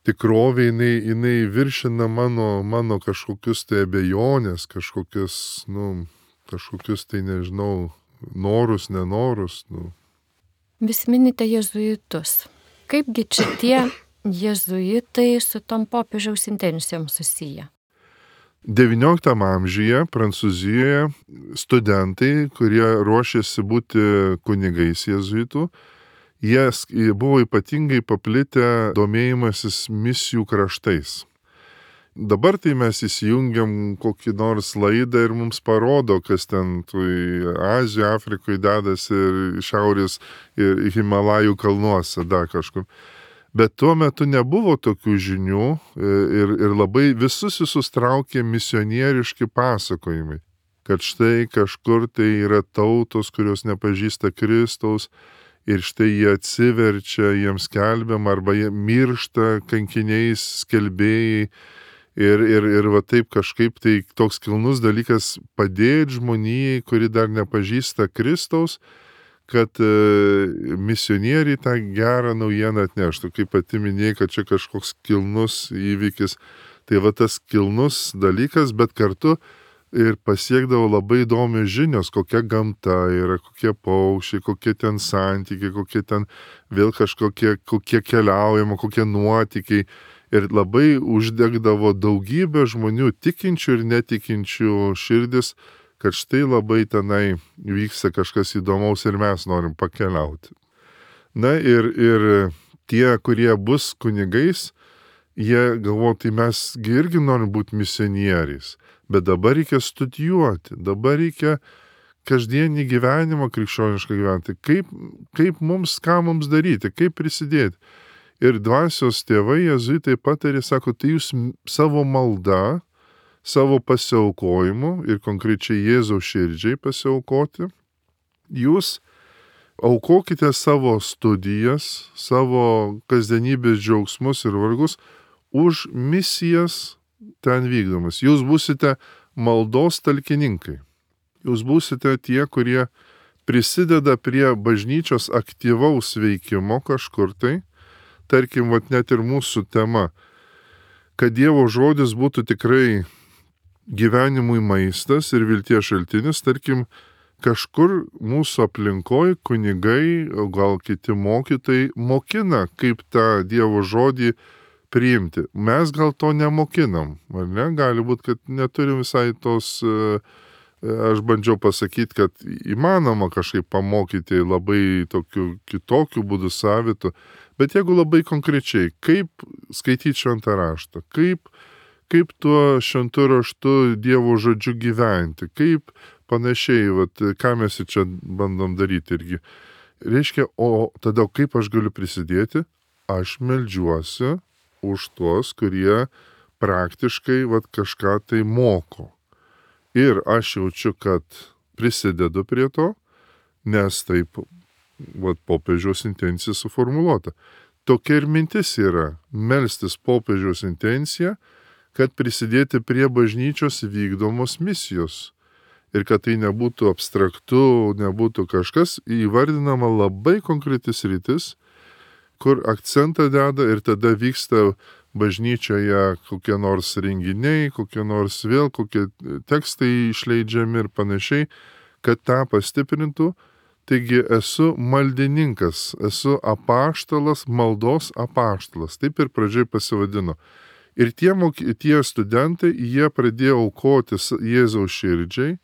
tikrovė, jinai viršina mano kažkokius tai abejonės, kažkokius tai, nežinau, norus, nenorus. Vis minite jėzuitus. Kaipgi čia tie jėzuitai su tom popiežiaus intencijom susiję? 19 amžiuje Prancūzijoje studentai, kurie ruošėsi būti kunigais jėzuitų, jie buvo ypatingai paplitę domėjimasis misijų kraštais. Dabar tai mes įsijungiam kokį nors laidą ir mums parodo, kas ten Azijoje, Afrikoje dedasi ir šiaurės ir Himalajų kalnuose, dar kažkur. Bet tuo metu nebuvo tokių žinių ir labai visus traukė misionieriški pasakojimai, kad štai kažkur tai yra tautos, kurios nepažįsta Kristaus ir štai jie atsiverčia, jiems skelbiam arba jie miršta kankiniais skelbėjai. Ir va taip kažkaip tai toks kilnus dalykas padėti žmonijai, kuri dar nepažįsta Kristaus, kad misionieriai tą gerą naujieną atneštų. Kaip pati minėjai, kad čia kažkoks kilnus įvykis. Tai va tas kilnus dalykas, bet kartu ir pasiekdavo labai įdomios žinios, kokia gamta yra, kokie paukščiai, kokie ten santykiai, kokie ten vėl kokie keliaujama, kokie nuotykiai. Ir labai uždegdavo daugybę žmonių, tikinčių ir netikinčių širdis, kad štai labai tenai vyksta kažkas įdomaus ir mes norim pakeliauti. Na ir tie, kurie bus kunigais, jie galvo, tai mes irgi norim būti misionieriais, bet dabar reikia studijuoti, dabar reikia kasdienį gyvenimą krikščionišką gyventi. Kaip mums, ką mums daryti, kaip prisidėti. Ir dvasios tėvai jėzuitai patarė, sako, tai jūs savo malda, savo pasiaukojimu ir konkrečiai Jėzaus širdžiai pasiaukoti, jūs aukokite savo studijas, savo kasdienybės džiaugsmus ir vargus už misijas ten vykdomas. Jūs būsite maldos talkininkai. Jūs būsite tie, kurie prisideda prie bažnyčios aktyvaus veikimo kažkur tai. Tarkim, net ir mūsų tema, kad Dievo žodis būtų tikrai gyvenimui maistas ir vilties šaltinis, tarkim, kažkur mūsų aplinkoje kunigai, gal kiti mokytojai mokina, kaip tą Dievo žodį priimti. Mes gal to nemokinam, ar ne? Gali būti, kad neturim visai tos, aš bandžiau pasakyti, kad įmanoma kažkaip pamokyti labai tokiu kitokiu būdu savitu. Bet jeigu labai konkrečiai, kaip skaityti šventą raštą, kaip tuo šventu raštu Dievo žodžiu gyventi, kaip panašiai, ką mes čia bandom daryti irgi. Reiškia, o tada kaip aš galiu prisidėti? Aš meldžiuosi už tuos, kurie praktiškai kažką tai moko. Ir aš jaučiu, kad prisidedu prie to, nes taip popiežiaus intencija suformuluota. Tokia ir mintis yra melstis popiežiaus intenciją, kad prisidėti prie bažnyčios vykdomos misijos. Ir kad tai nebūtų abstraktu, nebūtų kažkas, įvardinama labai konkretis rytis, kur akcentą deda ir tada vyksta bažnyčioje kokie nors renginiai, kokie tekstai išleidžiami ir panašiai, kad tą pastiprintų. Taigi esu maldininkas, esu apaštalas, maldos apaštalas. Taip ir pradžiai pasivadino. Ir tie studentai, jie pradėjo aukoti Jėzaus širdžiai,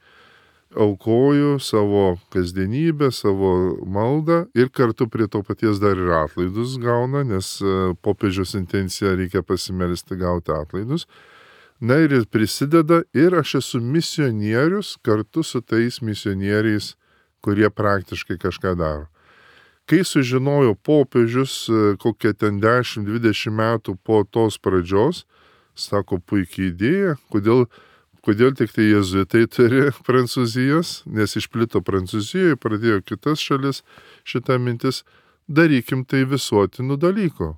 aukojo savo kasdienybę, savo maldą ir kartu prie to paties dar ir atlaidus gauna, nes popiežiaus intencija reikia pasimelsti gauti atlaidus. Na ir prisideda ir aš esu misionierius kartu su tais misionieriais, kurie praktiškai kažką daro. Kai sužinojo popiežius, kokie ten 10-20 metų po tos pradžios, sako, puikiai idėja, kodėl tik tai jėzuitai turi Prancūzijos, nes išplito Prancūzijoje, pradėjo kitas šalis šitą mintis, darykim tai visuotinų dalykų.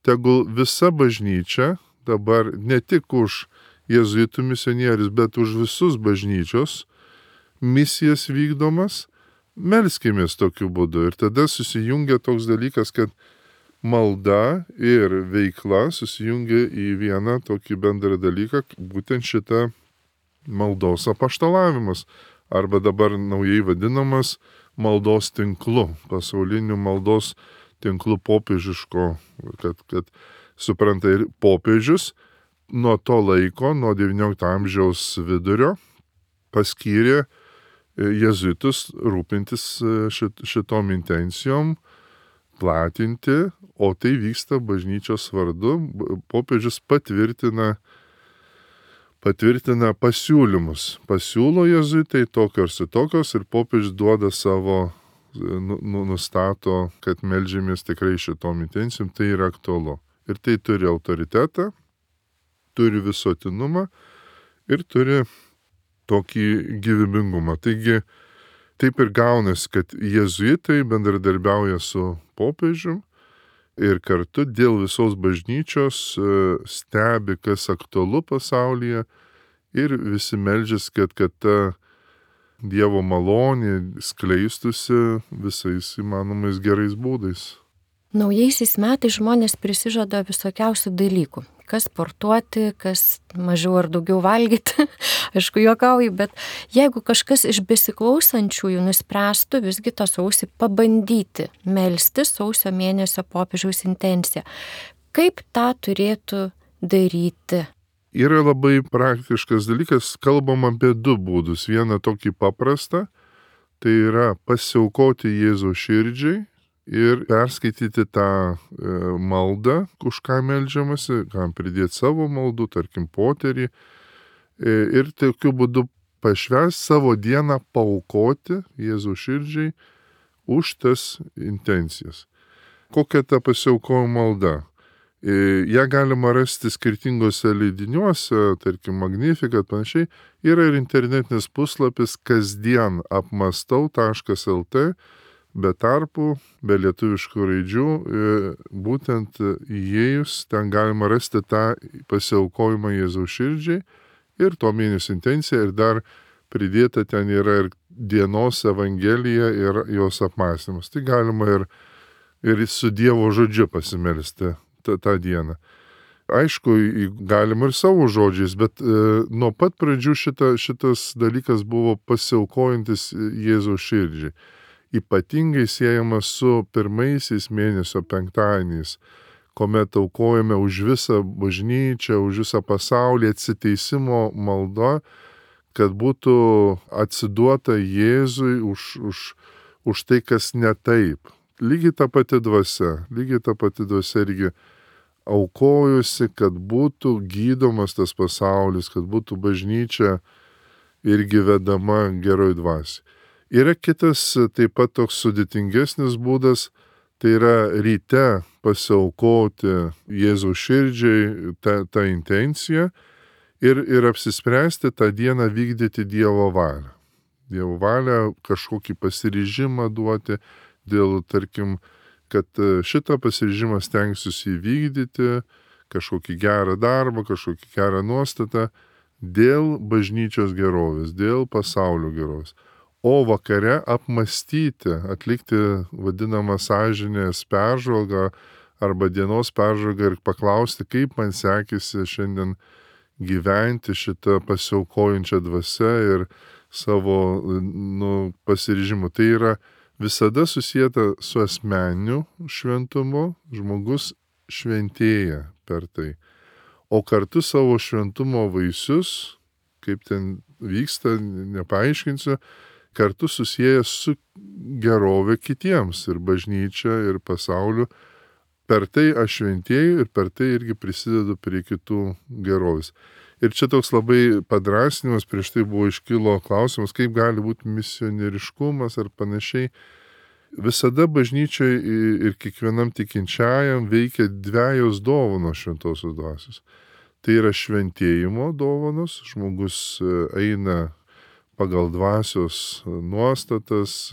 Tegul visa bažnyčia dabar ne tik už jėzuitų misionierius, bet už visus bažnyčios misijas vykdomas, melskimės tokiu būdu. Ir tada susijungia toks dalykas, kad malda ir veikla susijungia į vieną tokį bendrą dalyką, būtent šitą maldos apaštalavimas, arba dabar naujai vadinamas maldos tinklu, pasauliniu maldos tinklu popiežiško, kad supranta ir popiežius nuo to laiko, nuo XIX amžiaus vidurio, paskyrė jėzuitus rūpintis šitom intencijom, platinti, o tai vyksta bažnyčios vardu. Popiežius patvirtina pasiūlymus. Pasiūlo jėzuitai tokios ir tokios ir popiežius duoda savo, nustato, kad meldžiamės tikrai šitom intencijom, tai yra aktualu. Ir tai turi autoritetą, turi visuotinumą ir turi tokį gyvybingumą. Taigi, taip ir gaunasi, kad jėzuitai bendradarbiauja su popiežium ir kartu dėl visos bažnyčios stebi, kas aktualu pasaulyje ir visi meldžiasi, kad ta Dievo malonė skleistusi visais įmanomais gerais būdais. Naujaisiais metais žmonės prisižada visokiausių dalykų. Kas sportuoti, kas mažiau ar daugiau valgyti, aišku, juokauju, bet jeigu kažkas iš besiklausančiųjų nuspręstų visgi tą sausį pabandyti melsti sausio mėnesio popiežiaus intenciją, kaip tą turėtų daryti? Yra labai praktiškas dalykas, kalbam apie du būdus. Vieną tokį paprastą, tai yra pasiaukoti Jėzaus širdžiai ir perskaityti tą maldą, už ką meldžiamasi, kam pridėti savo maldų, tarkim, poterį. Ir tokiu būdu pašvęs savo dieną paaukoti Jėzaus širdžiai už tas intencijas. Kokia ta pasiaukojimo malda? Ja galima rasti skirtingose leidiniuose, tarkim, Magnificat, panašiai. Yra ir internetinis puslapis kasdien apmastau.lt, be tarpų, be lietuviškų raidžių, būtent įėjus, ten galima rasti tą pasiaukojimą Jėzaus širdžiai ir to mėnesio intenciją, ir dar pridėta ten yra ir dienos evangelija ir jos apmąstymas. Tai galima ir su Dievo žodžiu pasimelsti tą dieną. Aišku, galima ir savo žodžiais, bet nuo pat pradžių šitas dalykas buvo pasiaukojantis Jėzaus širdžiai. Ypatingai siejamas su pirmaisiais mėnesio penktadieniais, kuomet aukojame už visą bažnyčią, už visą pasaulį atsiteisimo malda, kad būtų atsiduota Jėzui už tai, kas ne taip. Lygiai ta pati dvasia irgi aukojusi, kad būtų gydomas tas pasaulis, kad būtų bažnyčia irgi vedama geroj dvasiai. Yra kitas taip pat toks sudėtingesnis būdas, tai yra ryte pasiaukoti Jėzaus širdžiai tą intenciją ir apsispręsti tą dieną vykdyti Dievo valią. Dievo valią, kažkokį pasiryžimą duoti dėl, tarkim, kad šitą pasiryžimą stengsiuosi įvykdyti, kažkokį gerą darbą, kažkokį gerą nuostatą dėl bažnyčios gerovės, dėl pasaulio gerovės. O vakare apmastyti, atlikti vadinamą sąžinės peržvalgą arba dienos peržvalgą ir paklausti, kaip man sekėsi šiandien gyventi šitą pasiaukojančią dvasią ir savo pasiryžimu. Tai yra visada susijęta su asmeniniu šventumu, žmogus šventėja per tai. O kartu savo šventumo vaisius, kaip ten vyksta, nepaaiškinsiu, kartu susijęs su gerovė kitiems ir bažnyčia, ir pasauliu. Per tai aš šventėju ir per tai irgi prisidedu prie kitų gerovės. Ir čia toks labai padrasinimas, prieš tai buvo iškilo klausimas, kaip gali būti misionieriškumas ar panašiai. Visada bažnyčiai ir kiekvienam tikinčiajam veikia dvejos dovanos šventosios dvasios. Tai yra šventėjimo dovanos, žmogus eina pagal dvasios nuostatas,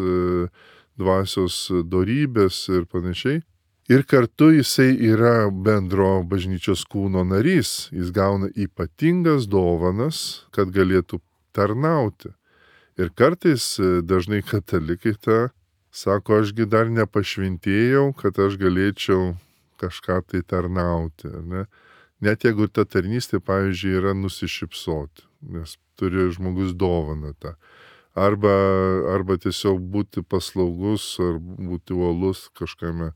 dvasios dorybės ir panašiai. Ir kartu jisai yra bendro bažnyčios kūno narys. Jis gauna ypatingas dovanas, kad galėtų tarnauti. Ir kartais dažnai katalikai sako, ašgi dar nepašventėjau, kad aš galėčiau kažką tai tarnauti. Ne? Net jeigu ta tarnystė, pavyzdžiui, yra nusišypsoti, nes turi žmogus dovaną tą. Arba tiesiog būti paslaugus, ar būti uolus kažkame.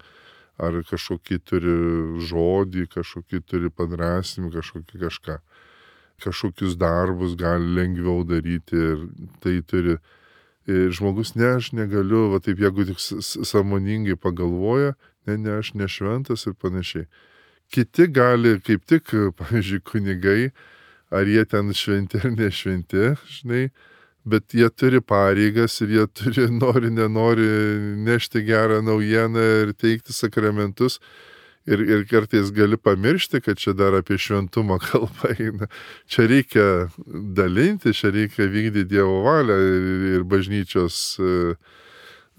Ar kažkokį turi žodį, kažkokį turi padrasymą, kažkokį kažką. Kažkokius darbus gali lengviau daryti ir tai turi. Ir žmogus, ne, aš negaliu, va taip, jeigu tik sąmoningai pagalvoja, ne, aš nešventas ir panašiai. Kiti gali, kaip tik, pavyzdžiui, kunigai, ar jie ten šventi ar nešventi, žinai, bet jie turi pareigas ir jie turi, nori, nenori nešti gerą naujieną ir teikti sakramentus. Ir kartais gali pamiršti, kad čia dar apie šventumą kalba eina. Čia reikia dalinti, čia reikia vykdyti Dievo valią ir bažnyčios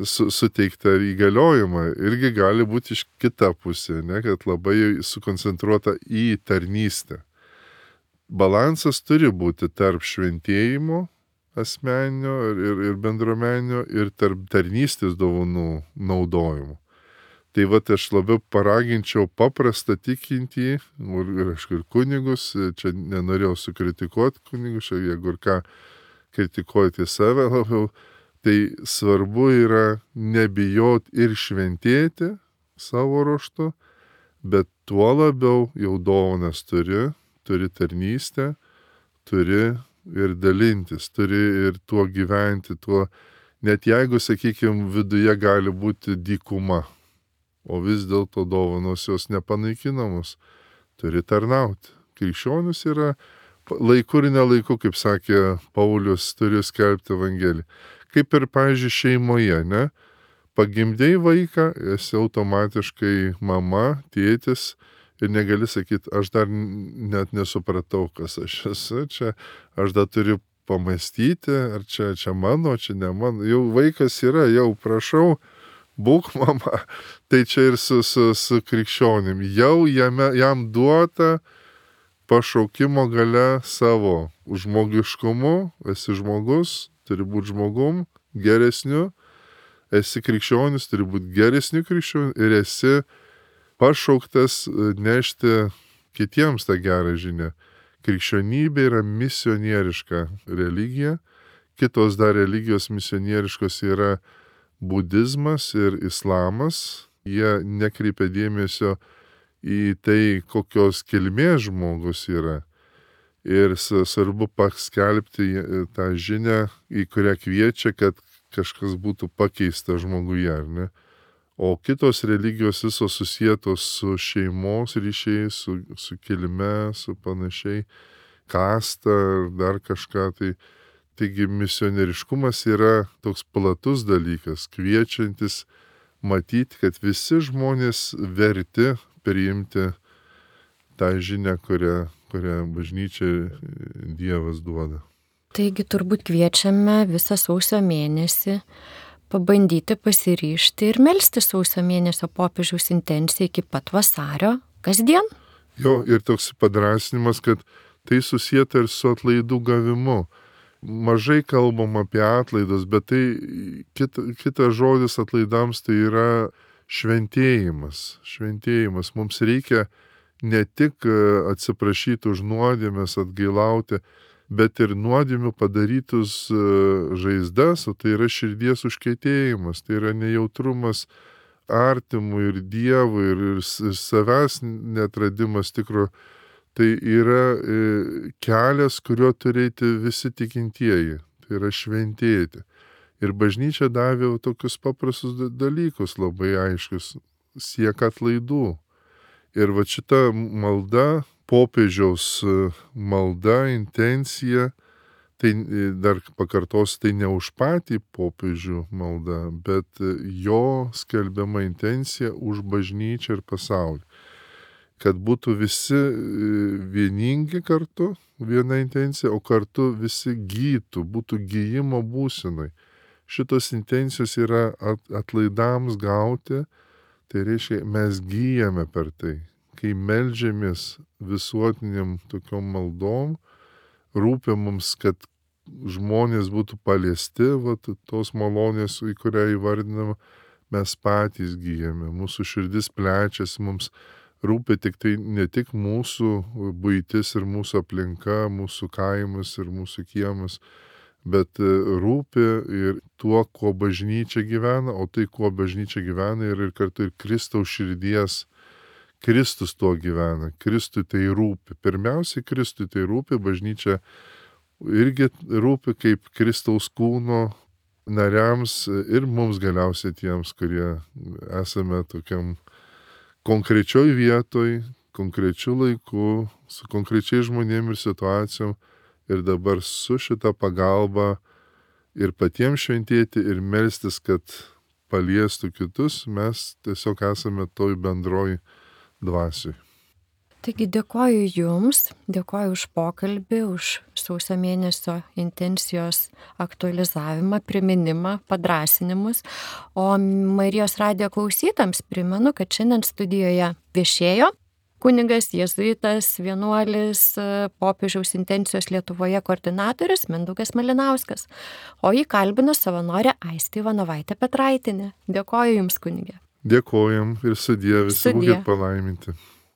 suteiktą įgaliojimą. Irgi gali būti iš kita pusė, ne, kad labai sukoncentruota į tarnystę. Balansas turi būti tarp šventėjimo asmeninio ir bendruomeninio ir tarp tarnystės dovanų naudojimo. Tai aš labiau paraginčiau paprastą tikintį, ir aišku, ir kunigus, čia nenorėjau sukritikuoti kunigus, jeigu ir ką kritikuoti save labiau, tai svarbu yra nebijot ir šventėti savo ruožtu, bet tuo labiau jau dovanas turi tarnystę, turi ir dalintis, turi ir tuo gyventi, tuo, net jeigu, sakykime, viduje gali būti dykuma. O vis dėlto dovanos jos nepanaikinamos, turi tarnauti. Krikščionis yra laiku ir nelaiku, kaip sakė Paulius, turi skelbti Evangeliją. Kaip ir, pavyzdžiui, šeimoje, ne? Pagimdėjai vaiką, esi automatiškai mama, tėtis ir negali sakyti, aš dar net nesupratau, kas aš esu, čia aš dar turiu pamastyti, ar čia mano, čia ne mano. Jau vaikas yra, jau prašau, būk mama, tai čia ir su krikščionim. Jau jam duota pašaukimo gale savo žmogiškumu, esi žmogus, turi būti žmogum, geresniu, esi krikščionis, turi būti geresniu krikščioniu ir esi pašauktas nešti kitiems tą gerą žinią. Krikščionybė yra misionieriška religija, kitos dar religijos misionieriškos yra budizmas ir islamas, jie nekreipia dėmesio į tai, kokios kilmės žmogus yra. Ir svarbu paskelbti tą žinią, į kurią kviečia, kad kažkas būtų pakeista žmoguje, ar ne? O kitos religijos visos susietos su šeimos ryšiais, su kilme, su panašiai, kasta ar dar kažką tai. Taigi misionieriškumas yra toks platus dalykas, kviečiantis matyti, kad visi žmonės verti priimti tą žinią, kurią bažnyčia Dievas duoda. Taigi turbūt kviečiame visą sausio mėnesį pabandyti pasiryžti ir melsti sausio mėnesio popiežiaus intenciją iki pat vasario kasdien. Jo, ir toks padrąsinimas, kad tai susieta ir su atlaidų gavimu. Mažai kalbam apie atlaidus, bet tai kitas žodis atlaidams tai yra šventėjimas. Šventėjimas. Mums reikia ne tik atsiprašyti už nuodėmes, atgailauti, bet ir nuodėmių padarytus žaizdas, o tai yra širdies užkietėjimas, tai yra nejautrumas artimui ir Dievui ir savęs neatradimas tikro. Tai yra kelias, kuriuo turėti visi tikintieji, tai yra šventėti. Ir bažnyčia davė tokius paprastus dalykus, labai aiškius, siek atlaidų. Ir šita malda, popiežiaus malda, intencija, tai dar pakartosiu, tai ne už patį popiežių malda, bet jo skelbiama intencija už bažnyčią ir pasaulį. Kad būtų visi vieningi kartu, viena intencija, o kartu visi gytų, būtų gyjimo būsenai. Šitos intencijos yra atlaidams gauti, tai reiškia, mes gyjame per tai. Kai meldžiamės visuotiniam tokiom maldom, rūpia mums, kad žmonės būtų paliesti, tos malonės, į kurią įvardinama, mes patys gyjame, mūsų širdis plečiasi, mums rūpi tik tai ne tik mūsų buitis ir mūsų aplinka, mūsų kaimas ir mūsų kiemas, bet rūpi ir tuo, kuo bažnyčia gyvena, o tai, kuo bažnyčia gyvena ir kartu ir Kristaus širdies. Kristus tuo gyvena, Kristui tai rūpi. Pirmiausiai Kristui tai rūpi, bažnyčia irgi rūpi kaip Kristaus kūno nariams ir mums galiausiai tiems, kurie esame tokiam konkrečioj vietoj, konkrečiu laiku, su konkrečiai žmonėm ir situacijom ir dabar su šita pagalba ir patiems šventėti ir melstis, kad paliestų kitus, mes tiesiog esame toj bendroj dvasioj. Taigi dėkoju Jums, dėkoju už pokalbį, už sausio mėnesio intencijos aktualizavimą, priminimą, padrasinimus. O Marijos radijo klausytams primenu, kad šiandien studijoje viešėjo kunigas, jėzuitas, vienuolis, popiežiaus intencijos Lietuvoje koordinatorius Mindaugas Malinauskas, o jį kalbino savanorė Aistė Ivanovaitė Petraitinė. Dėkoju Jums, kunige. Dėkojam ir sudie, visi būkit palaiminti.